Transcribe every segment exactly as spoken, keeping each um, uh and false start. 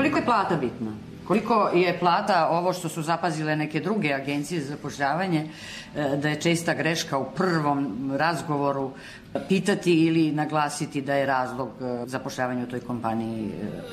Koliko je plata bitna? Koliko je plata, ovo što su zapazile neke druge agencije za zapošljavanje, da je česta greška u prvom razgovoru pitati ili naglasiti da je razlog zapošljavanja u toj kompaniji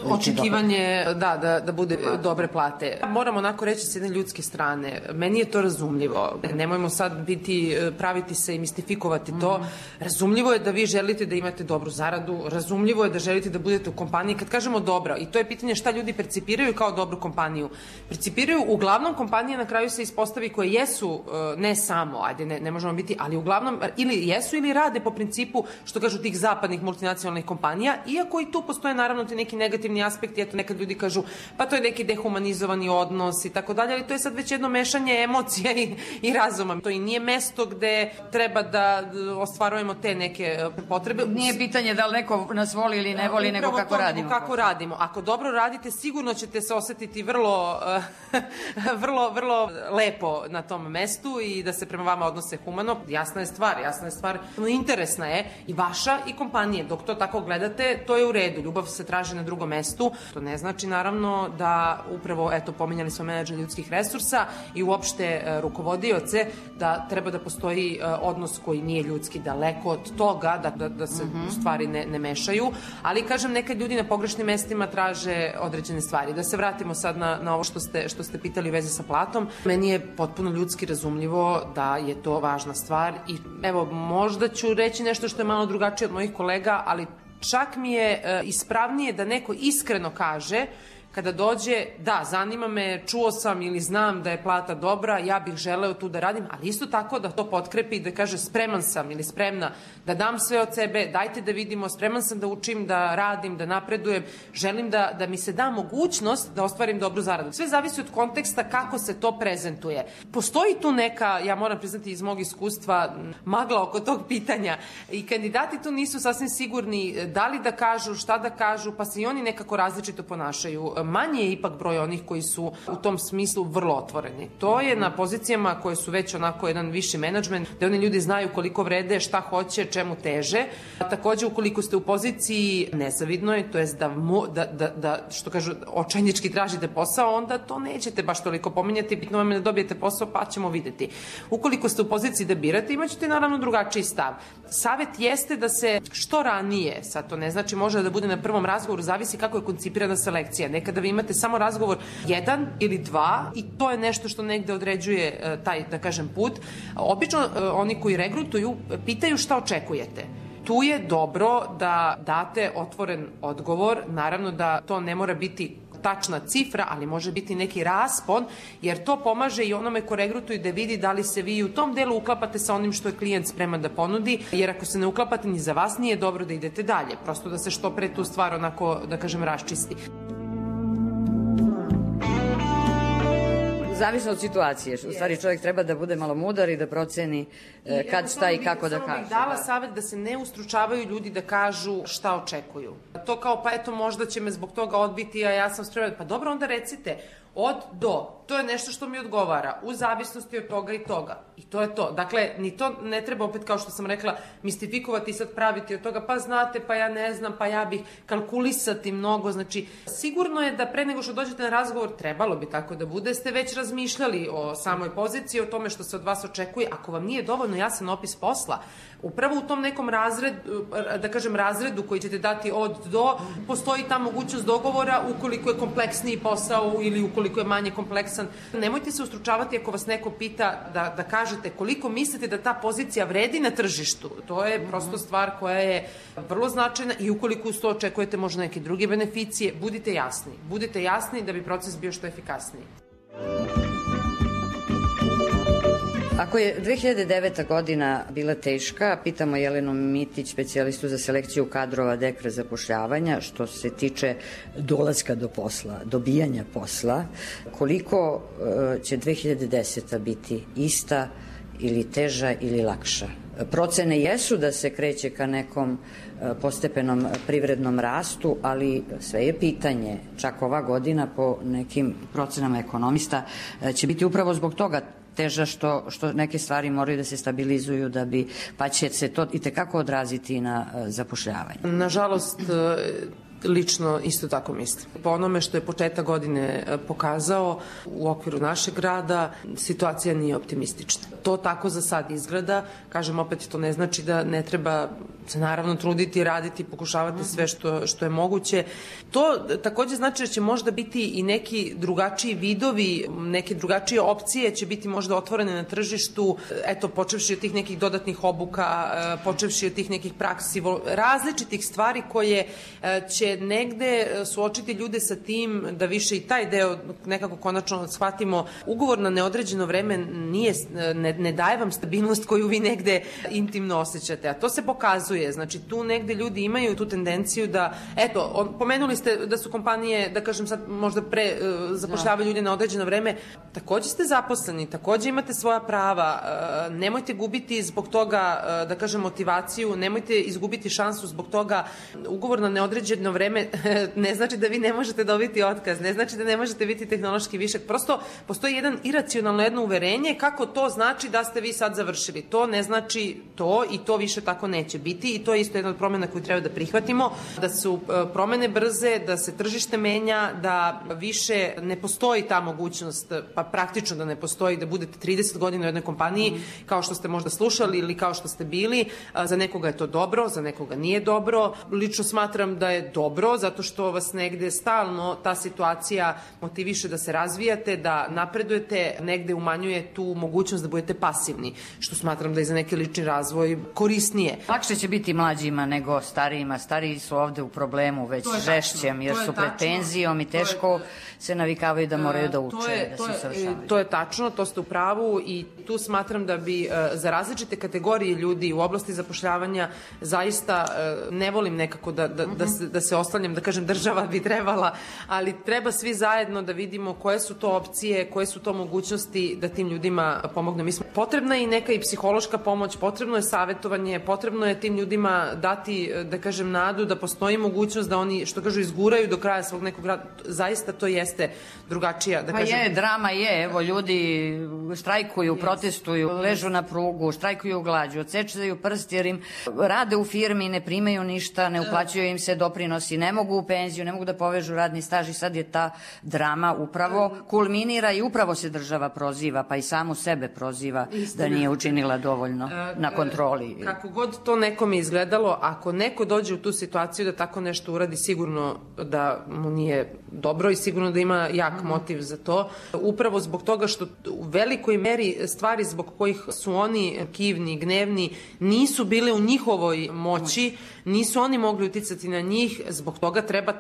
očekivanje da, da, da bude dobre plate. Moram onako reći s jedne ljudske strane, meni je to razumljivo. Nemojmo sad biti, praviti se i mistifikovati to. Razumljivo je da vi želite da imate dobru zaradu, razumljivo je da želite da budete u kompaniji. Kad kažemo dobro, i to je pitanje šta ljudi percipiraju kao dobru kompaniju. Percipiraju uglavnom kompanije, na kraju se ispostavi koje jesu, ne samo, ajde, ne, ne možemo biti, ali uglavnom ili jesu ili rade po principu, što kažu, tih zapadnih multinacionalnih kompanija, iako i tu postoje naravno ti neki negativni aspekti, eto nekad ljudi kažu pa to je neki dehumanizovani odnos i tako dalje, ali to je sad već jedno mešanje emocija i, i razuma. To i nije mesto gde treba da ostvarujemo te neke potrebe. Nije pitanje da li neko nas voli ili ne voli, nego kako radimo. Kako radimo. Ako dobro radite, sigurno ćete se osetiti vrlo, vrlo, vrlo lepo na tom mestu i da se prema vama odnose humano. Jasna je stvar, jasna je stvar, interesna je i vaša i kompanije. Dok to tako gledate, to je u redu. Ljubav se traži na drugom mestu. To ne znači naravno da upravo, eto, pominjali smo menadžer ljudskih resursa i uopšte rukovodioce, da treba da postoji odnos koji nije ljudski, daleko od toga, da, da, da se mm-hmm. stvari ne, ne mešaju. Ali, kažem, nekad ljudi na pogrešnim mestima traže određene stvari. Da se vratimo sad na, na ovo što ste, što ste pitali u vezi sa platom. Meni je potpuno ljudski razumljivo da je to važna stvar i evo, možda ću reći nešto što je malo drugačije od mojih kolega, ali čak mi je e, ispravnije da neko iskreno kaže kada dođe, da, zanima me, čuo sam ili znam da je plata dobra, ja bih želeo tu da radim, ali isto tako da to potkrepi i da kaže spreman sam ili spremna da dam sve od sebe, dajte da vidimo, spreman sam da učim, da radim, da napredujem, želim da, da mi se da mogućnost da ostvarim dobru zaradu. Sve zavisi od konteksta kako se to prezentuje. Postoji tu neka, ja moram priznati iz mog iskustva, magla oko tog pitanja i kandidati tu nisu sasvim sigurni da li da kažu, šta da kažu, pa se i oni nekako različito ponašaju. Manje je ipak broj onih koji su u tom smislu vrlo otvoreni. To je na pozicijama koje su već onako jedan viši menadžment, da oni ljudi znaju koliko vrede, šta hoće, čemu teže. A takođe, ukoliko ste u poziciji nezavidnoj, to jest da, da, da, da što kažu, očajnički tražite posao, onda to nećete baš toliko pominjati, bitno vam je da dobijete posao, pa ćemo videti. Ukoliko ste u poziciji da birate, imaćete naravno drugačiji stav. Savet jeste da se što ranije, sad to ne znači može da bude na prvom razgovoru, zavisi kako je koncipirana selekcija. Nekada vi imate samo razgovor jedan ili dva i to je nešto što negde određuje taj, da kažem, put. Obično oni koji regrutuju pitaju šta očekujete. Tu je dobro da date otvoren odgovor, naravno da to ne mora biti tačna cifra, ali može biti neki raspon, jer to pomaže i onome ko regrutuje da vidi da li se vi u tom delu uklapate sa onim što je klijent spreman da ponudi, jer ako se ne uklapate ni za vas nije dobro da idete dalje, prosto da se što pre tu stvar onako, da kažem, raščisti. Zavisno od situacije. U stvari čovjek treba da bude malo mudar i da proceni I kad, šta i kako da kaže. Samo bih dala da. Savjet da se ne ustručavaju ljudi da kažu šta očekuju. To kao, pa eto, možda će me zbog toga odbiti, a ja sam spreman. Pa dobro, onda recite, od do. To je nešto što mi odgovara, u zavisnosti od toga i toga. I to je to. Dakle, ni to ne treba opet, kao što sam rekla, mistifikovati i sad praviti od toga, pa znate, pa ja ne znam, pa ja bih kalkulisati mnogo. Znači, sigurno je da pre nego što dođete na razgovor, trebalo bi tako da bude, ste već razmišljali o samoj poziciji, o tome što se od vas očekuje. Ako vam nije dovoljno jasan opis posla, upravo u tom nekom razredu, da kažem razredu koji ćete dati od do, postoji ta mogućnost dogovora ukoliko je kompleksniji posao ili ukoliko je manje kompleksan. Nemojte se ustručavati ako vas neko pita da, da kažete koliko mislite da ta pozicija vredi na tržištu. To je prosto stvar koja je vrlo značajna i ukoliko uz to očekujete možda neke druge beneficije, budite jasni. Budite jasni da bi proces bio što efikasniji. Ako je dve hiljade deveta. godina bila teška, pitamo Jelenu Mitić, specijalistu za selekciju kadrova Dekra zapošljavanja, što se tiče dolaska do posla, dobijanja posla, koliko će dve hiljade deseta. biti ista ili teža ili lakša? Procene jesu da se kreće ka nekom postepenom privrednom rastu, ali sve je pitanje. Čak ova godina po nekim procenama ekonomista će biti upravo zbog toga teža što, što neke stvari moraju da se stabilizuju da bi, pa će se to i tekako odraziti na zapošljavanje. Nažalost, lično isto tako mislim. Po onome što je početak godine pokazao u okviru našeg grada, situacija nije optimistična. To tako za sad izgleda. Kažem, opet to ne znači da ne treba se naravno truditi, raditi, pokušavati sve što, što je moguće. To takođe znači da će možda biti i neki drugačiji vidovi, neke drugačije opcije će biti možda otvorene na tržištu, eto, počevši od tih nekih dodatnih obuka, počevši od tih nekih praksi, različitih stvari koje će negde suočiti ljude sa tim da više i taj deo nekako konačno shvatimo. Ugovor na neodređeno vreme nije, ne, ne daje vam stabilnost koju vi negde intimno osjećate, a to se pokazuje. Znači, tu negde ljudi imaju tu tendenciju da, eto, on, pomenuli ste da su kompanije, da kažem sad, možda pre uh, zapošljavaju ljude na određeno vreme, takođe ste zaposleni, takođe imate svoja prava, uh, nemojte gubiti zbog toga, uh, da kažem, motivaciju, nemojte izgubiti šansu zbog toga. Ugovor na neodređeno vreme ne znači da vi ne možete dobiti otkaz, ne znači da ne možete biti tehnološki višak, prosto postoji jedan iracionalno jedno uverenje kako to znači da ste vi sad završili. To ne znači to i to više tako neće biti i to je isto jedna od promena koju treba da prihvatimo, da su promene brze, da se tržište menja, da više ne postoji ta mogućnost, pa praktično da ne postoji, da budete trideset godina u jednoj kompaniji, mm. kao što ste možda slušali ili kao što ste bili. Za nekoga je to dobro, za nekoga nije dobro. Lično smatram da je dobro, zato što vas negde stalno ta situacija motiviše da se razvijate, da napredujete, negde umanjuje tu mogućnost da budete pasivni, što smatram da je za neki lični razvoj korisnije. Lakše će biti mlađima nego starijima. Stariji su ovde u problemu već žešćem, jer su pred penzijom i teško se navikavaju da moraju da uče, da se usavršavaju. To je tačno, to ste u pravu i tu smatram da bi za različite kategorije ljudi u oblasti zapošljavanja zaista ne volim nekako da, da, da, se, da se oslanjam, da kažem država bi trebala, ali treba svi zajedno da vidimo koje su to opcije, koje su to mogućnosti da tim ljudima pomogne. Mislim, potrebna je i neka i psihološka pomoć, potrebno je savjetovanje, potrebno je tim ljudima dati, da kažem, nadu da postoji mogućnost da oni, što kažu, izguraju do kraja svog nekog rada. Zaista to jeste drugačija, da kažem. Pa je, drama je, evo, ljudi štrajkuju, protestuju, ležu na prugu, štrajkuju glađu, odsečaju prst jer im rade u firmi, ne primaju ništa, ne uplaćuju im se doprinosi, ne mogu u penziju, ne mogu da povežu radni staž i sad je ta drama upravo kulminira i upravo se država proziva, pa i samu sebe proziva da nije učinila dovoljno na kontroli. Kako god to nekome izgledalo, ako neko dođe u tu situaciju da tako nešto uradi, sigurno da mu nije dobro i sigurno da ima jak motiv za to. Upravo zbog toga što u velikoj meri stvari zbog kojih su oni kivni, gnevni, nisu bile u njihovoj moći, nisu oni mogli uticati na njih, zbog toga treba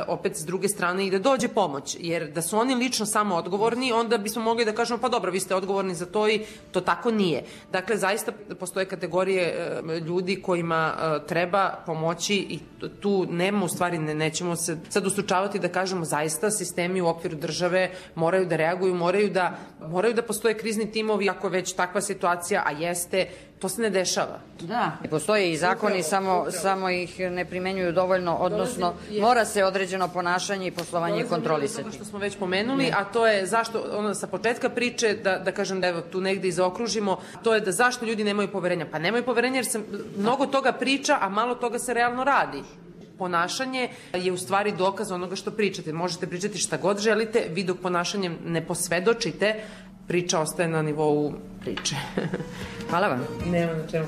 opet s druge strane i da dođe pomoć. Jer da su oni lično samo odgovorni, onda bismo mogli da kažemo pa dobro, vi ste odgovorni za to i to tako nije. Dakle, zaista postoje kategorije ljudi kojima treba pomoći i tu nema, u stvari ne, nećemo se sad ustručavati da kažemo zaista sistemi u okviru države moraju da reaguju, moraju da, moraju da postoje krizni timovi ako već takva situacija, a jeste, to se ne dešava. Da, postoje i zakoni, upravo, samo, upravo. samo ih ne primenjuju dovoljno, odnosno mora se određeno ponašanje i poslovanje kontrolisati. Što smo već pomenuli, ne. A to je zašto, ono sa početka priče, da, da kažem da evo tu negde i zaokružimo, to je da zašto ljudi nemaju poverenja. Pa nemaju poverenja jer se mnogo toga priča, a malo toga se realno radi. Ponašanje je u stvari dokaz onoga što pričate. Možete pričati šta god želite, vi dok ponašanjem ne posvedočite, priča ostaje na nivou priče. Hvala vam. Nema na čemu.